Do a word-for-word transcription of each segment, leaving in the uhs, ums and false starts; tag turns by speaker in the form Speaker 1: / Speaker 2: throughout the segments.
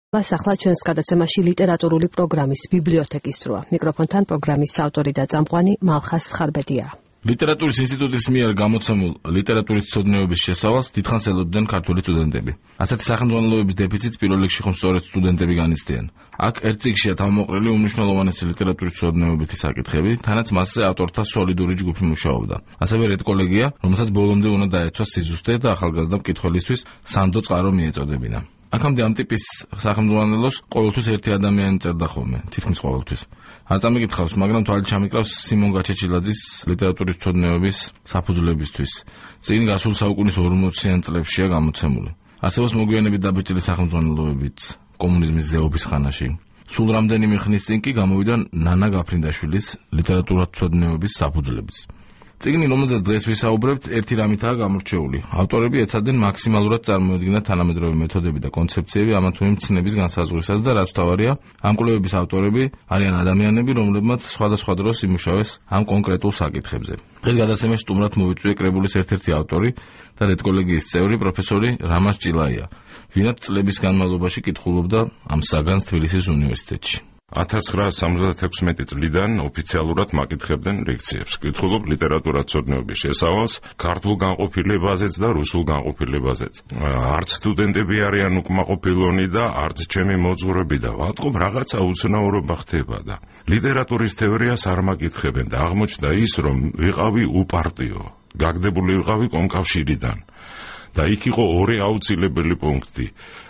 Speaker 1: მას ახლა ჩვენს გადაცემაში ლიტერატურული პროგრამის ბიბლიოთეკის სროა. მიკროფონთან პროგრამის ავტორი და წამყვანი მალხას ხარბედია.
Speaker 2: ლიტერატურის ინსტიტუტის მიერ გამოცემულ ლიტერატურის ცოდნეობის შესავალს დიდხანს ელოდნენ ქართული სტუდენტები. ასეთი სახელმძღვანელოების დეფიციტს პირველ რიგში ხომ სწორედ სტუდენტები განიცდიან. აქ ერთ წიგნშია თავმოყრილი უმნიშვნელოვანესი ლიტერატურის ცოდნეობითი საკითხები, თანაც მასზე ავტორთა სოლიდური ჯგუფი მუშაობდა. ასევე რედკოლეგია, რომელსაც ბოლომდე უნდა დაეცვა სიზუსტე და ახალგაზრდა მკითხველისთვის სანდო წყარო მიეწოდებინა. აქამდე ამ ტიპის სახელმძღვანელოს ყოველთვის ერთი ადამიანი წერდა ხოლმე, თითქმის ყოველთვის. არ წამიკითხავს, მაგრამ თვალი ჩამიკრავს სიმონ გაჩეჩილაძის ლიტერატურის ცოდნეობის საფუძვლებისთვის. წინ გასულ საუკუნის ორმოციან წლებშია გამოცემული. არსებობს მოგვიანებით დაბეჭდილი სახელმძღვანელოებიც კომუნიზმის ზეობის ხანაში. სულ რამდენიმე ხნის წინ კი გამოვიდა ნანა გაფრინდაშვილის ლიტერატურის ცოდნეობის საფუძვლებიც. წიგნი, რომელზეც დღეს ვისაუბრებთ, ერთი რამითაა გამორჩეული. ავტორები ეცადნენ მაქსიმალურად წარმოედგინათ თანამედროვე მეთოდები და კონცეფციები ამა თუ იმ მცნების განსაზღვრისას და რაც თავარია, ამ კვლევების ავტორები არიან ადამიანები, რომლებმაც სხვადასხვა დროს იმუშავეს ამ კონკრეტულ საკითხებზე. დღეს გადაცემაში სტუმრად მოვიწვია კრებულის ერთ-ერთი ავტორი და რედკოლეგიის წევრი პროფესორი რამაზ ჭილაია, ვინაც წლების განმავლობაში კითხულობდა ამ საგანს თბილისის უნივერსიტეტში.
Speaker 3: ათას ცხრაასი სამოცდათექვსმეტი წლიდან ოფიციალურად მაკითხებდნენ ლექციებს. კითხულობ ლიტერატურას ცოდნეობის შესავალს ქართულ განყოფილებაზეც და რუსულ განყოფილებაზეც. არც სტუდენტები არიან უკმაყოფილონი და არც ჩემი მოძღვრები და ვატყობ რაღაცა უცნაურობა ხდება და ლიტერატურის თეორიას არ მაკითხებენ და აღმოჩნდა ის, რომ ვიყავი უპარტიო, გაგდებული ვიყავი კომკავშირიდან და იქ იყო ორი აუცილებელი პუნქტი.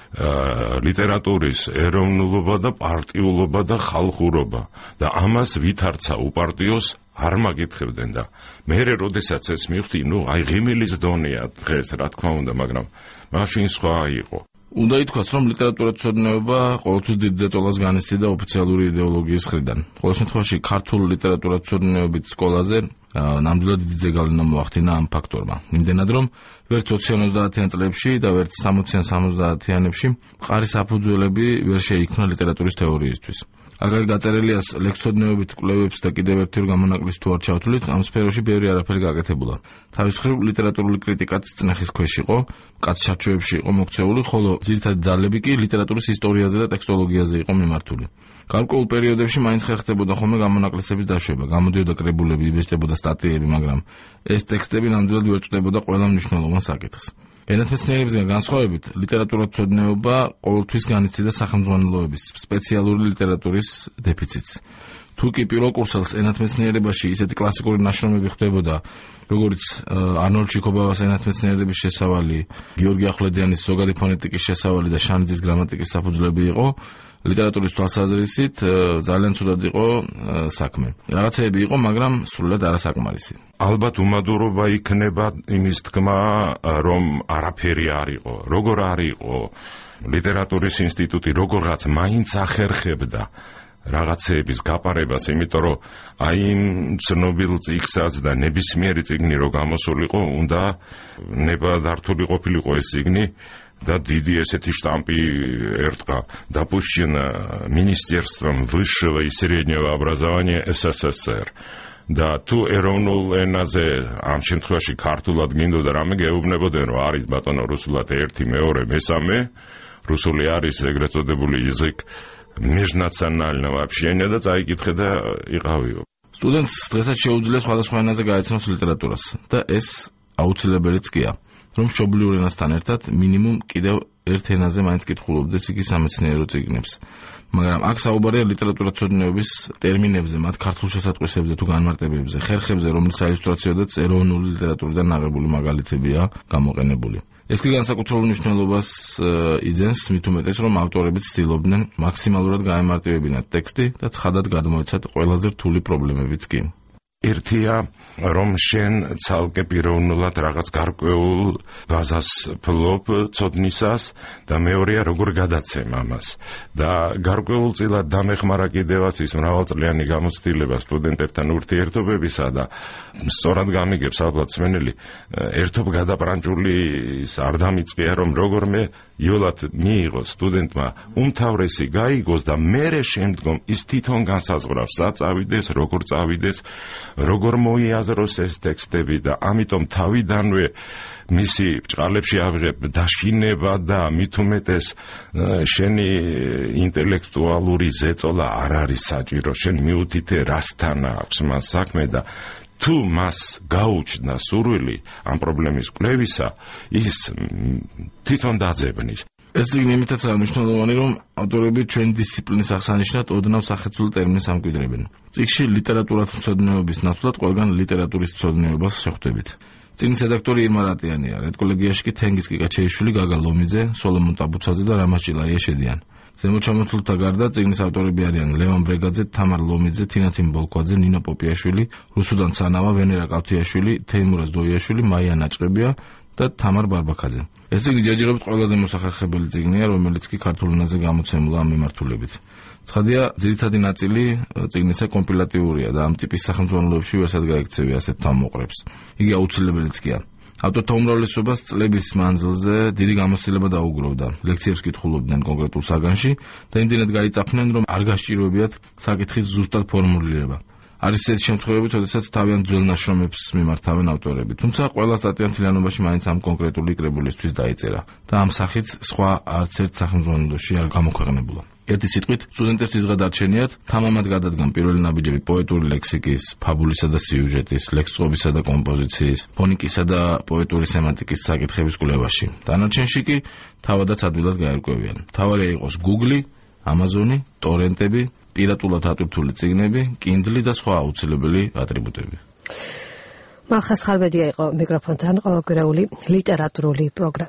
Speaker 3: ლიტერატურის ეროვნულობა და პარტიულობა და ხალხურობა და ამას ვითარცა უპარტიოს არ მაკითხებდნენ და მე როდესაც ეს მივხვდი, ნუ აი ღიმილის დონეა დღეს, რა თქმა უნდა, მაგრამ მაშინ სხვა იყო.
Speaker 2: უნდა ითქვას, რომ ლიტერატურის ცოდნეობა ყოველთვის დიდ ზეწოლას განიცდიდა ოფიციალური იდეოლოგიის მხრიდან. ყოველ შემთხვევაში ქართულ ლიტერატურის ცოდნეობით სკოლაზე ნამდვილად დიდი ზეგავლენა მოახდინა ამ ფაქტორმა. იმდენად, რომ ვერც ოციან-ოცდაათიან წლებში და ვერც სამოციან-სამოცდაათიანებში მყარი საფუძველები ვერ შეიქმნა ლიტერატურის თეორიისთვის. აგარ გაწერილიას ლექსცოდნეობით კვლევებს და კიდევ ერთი გამონაკლის თუ არ ჩავთვლით, ამ სფეროში ბევრი არაფერი გაკეთებულა. თავის მხრივ ლიტერატურული კრიტიკაც წნეხის ქვეშ იყო, კაცჩარჩოებში იყო მოქცეული, ხოლო ძირითადი ძალები კი ლიტერატურის ისტორიაზე და ტექსტოლოგიაზე იყო მიმართული. გარკვეულ პერიოდებში მაინც ხერხდებოდა ხოლმე გამონაკლისების დაშვება, გამოდიოდა კრებულები, იბეჭდებოდა სტატიები, მაგრამ ეს ტექსტები ნამდვილად ვერ წვდებოდა ყველა მნიშვნელოვან საკითხს. ენათმეცნიერებისგან განსხვავებით, ლიტერატურის ცოდნეობა ყოველთვის განიცდიდა სახელმძღვანელოების სპეციალური ლიტერატურის დეფიციტს. თუ კი პირველ კურსელს ენათმეცნიერებაში ისეთი კლასიკური ნაშრომები ხდებოდა, როგორც არნოლდ ჩიქობავას ენათმეცნიერების შესავალი, გიორგი ახვლედიანის ზოგადი ფონეტიკის შესავალი და შანიძის გრამატიკის საფუძვლები იყო, ლიტერატურის თვალსაზრისით ძალიან ცუდად იყო საქმე. რაღაცეები იყო, მაგრამ სრულად არასაკმარისი.
Speaker 3: ალბათ უმადურობა იქნება იმის თქმა, რომ არაფერი არ იყო. როგორ არ იყო ლიტერატურის ინსტიტუტი, როგორღაც მაინც ახერხებდა რაღაცეების გაპარებას, იმიტომ რომ აი იმ ცნობილ წიგნსაც და ნებისმიერი წიგნი რო გამოსულიყო, უნდა ნებადართული ყოფილიყო ეს წიგნი და დიდი ესეთი штампи эртка допущено Министерством высшего и среднего образования СССР. და თუ ეროვნულ ენაზე ამ შემთხვევაში ქართულად გინდოდა რამე გეუბნებოდნენ, რომ არის ბატონო რუსულად ერთი, მეორე, მესამე, რუსული არის ეგრეთ წოდებული язык межнационального общения და წაიკითხე და იყავიო.
Speaker 2: სტუდენტს დღესაც შეუძლია სხვადასხვა ენაზე გაეცნოს ლიტერატურას და ეს აუცილებელიც კია. რომ მშობლიურ ენასთან ერთად მინიმუმ კიდევ ერთ ენაზე მაინც კითხულობდეს იგი სამეცნიერო წიგნებს. მაგრამ აქ საუბარია ლიტერატურის ცოდნეობის ტერმინებზე, მათ ქართულ შესატყვისებზე თუ განმარტებებზე, ხერხებზე, რომლის საილუსტრაციოდაც ეროვნული ლიტერატურიდან აღებული მაგალითებია გამოყენებული. ეს კი განსაკუთრებულ მნიშვნელობას იძენს, მით უმეტეს, რომ ავტორები ცდილობდნენ მაქსიმალურად გაემარტივებინათ ტექსტი და ცხადად გადმოეცათ ყველაზე რთული პრობლემებიც კი.
Speaker 3: ერთია, რომ შენ ცალკე პიროვნულად რაღაც გარკვეულ ბაზას ფლობ ცოდნისას და მეორეა როგორ გადაცემ ამას. და გარკვეულწილად დამეხმარა კიდევაც ის მრავალწლიანი გამოცდილება სტუდენტებთან ურთიერთობებისა და სწორად გამიგებს ალბათ სმენელი, ერთობ გადაპრანჭული არ დამიწყია, რომ როგორმე იოლად მიიღო სტუდენტმა უმთავრესი გაიგოს და მერე შემდგომ ის თვითონ განსაზღვრავს სად წავიდეს, როგორ წავიდეს, როგორ მოიაზროს ეს ტექსტები და ამიტომ თავიდანვე მისი ბჭყალებში ავიღებ დაშინება და მით უმეტეს შენი ინტელექტუალური ზეწოლა არ არის საჭირო, შენ მიუთითე რასთან აქვს მას საქმე და თუ მას გაუჩნდა სურვილი ამ პრობლემის კვლევისა, ის თვითონ დაძებნის.
Speaker 2: ეს წიგნი იმითაც არის მნიშვნელოვანი, რომ ავტორები ჩვენი დისციპლინის აღსანიშნად ოდნავ სახეცვლილ ტერმინს ამკვიდრებენ. წიგნში ლიტერატურათმცოდნეობის ნაცვლად ყველგან ლიტერატურის მცოდნეობას შეხვდებით. წიგნის რედაქტორი ირმა რატიანია, რედკოლეგიაში კი თენგიზ კიკაჩეიშვილი, გაგა ლომიძე, სოლომონ ტაბუცაძე და რამაზ ჭილაია შედიან. ზემოჩამოთვლთა გარდა წიგნის ავტორები არიან ლევან ბრეგაძე, თამარ ლომიძე, თინათინ ბოლქვაძე, ნინო პოპიაშვილი, რუსუდან ცანავა, ვენერა კავთიაშვილი, თეიმურაზ დოიაშვილი, მაია ნაჭყებია და თამარ ბარბაქაძე. ეს წიგნი ჯერჯერობით ყველაზე მოსახერხებელი წიგნია, რომელიც კი ქართულ ენაზე გამოცემულა ამ მიმართულებით. ცხადია, ძირითადი ნაწილი წიგნისა კომპილატიურია და ამ ტიპის სახელმძღვანელოებში ვერსად გაიქცევი ასეთ თავმოყრებს. იგი აუცილებელიც კი არა. ავტორთა უმრავლესობას წლების მანძილზე დიდი გამოცდილება დაუგროვდა. ლექციებს კითხულობდნენ კონკრეტულ საგანში და იმდენად გაიწაფნენ, რომ არ გასჭიროებიათ საკითხის ზუსტად ფორმულირება. არის ესეთი შემთხვევები, როდესაც თავიანთ ძველ ნაშრომებს მიმართავენ ავტორები, თუმცა ყველა სტატია მთლიანობაში მაინც ამ კონკრეტული კრებულისთვის დაიწერა და ამ სახით სხვა არც ერთ სახელმძღვანელოში არ გამოქვეყნებულა. ერთი სიტყვით, სტუდენტებს იზღად არჩენიათ თამამად გადადგან პირველი ნაბიჯები პოეტური ლექსიკის, ფაბულისა და სიუჟეტის, ლექსწყობისა და კომპოზიციის, ფონიკისა და პოეტური სემანტიკის საკითხების კვლევაში. დანარჩენში კი თავადაც ადვილად გაერკვევიან. მთავარია იყოს Google, Amazon, ტორენტები, პირატულად ატვირთული წიგნები, Kindle და სხვა აუცილებელი ატრიბუტები.
Speaker 1: მალხას ხალბედია იყო მიკროფონთან ყოველკვირეული ლიტერატურული პროგრამა.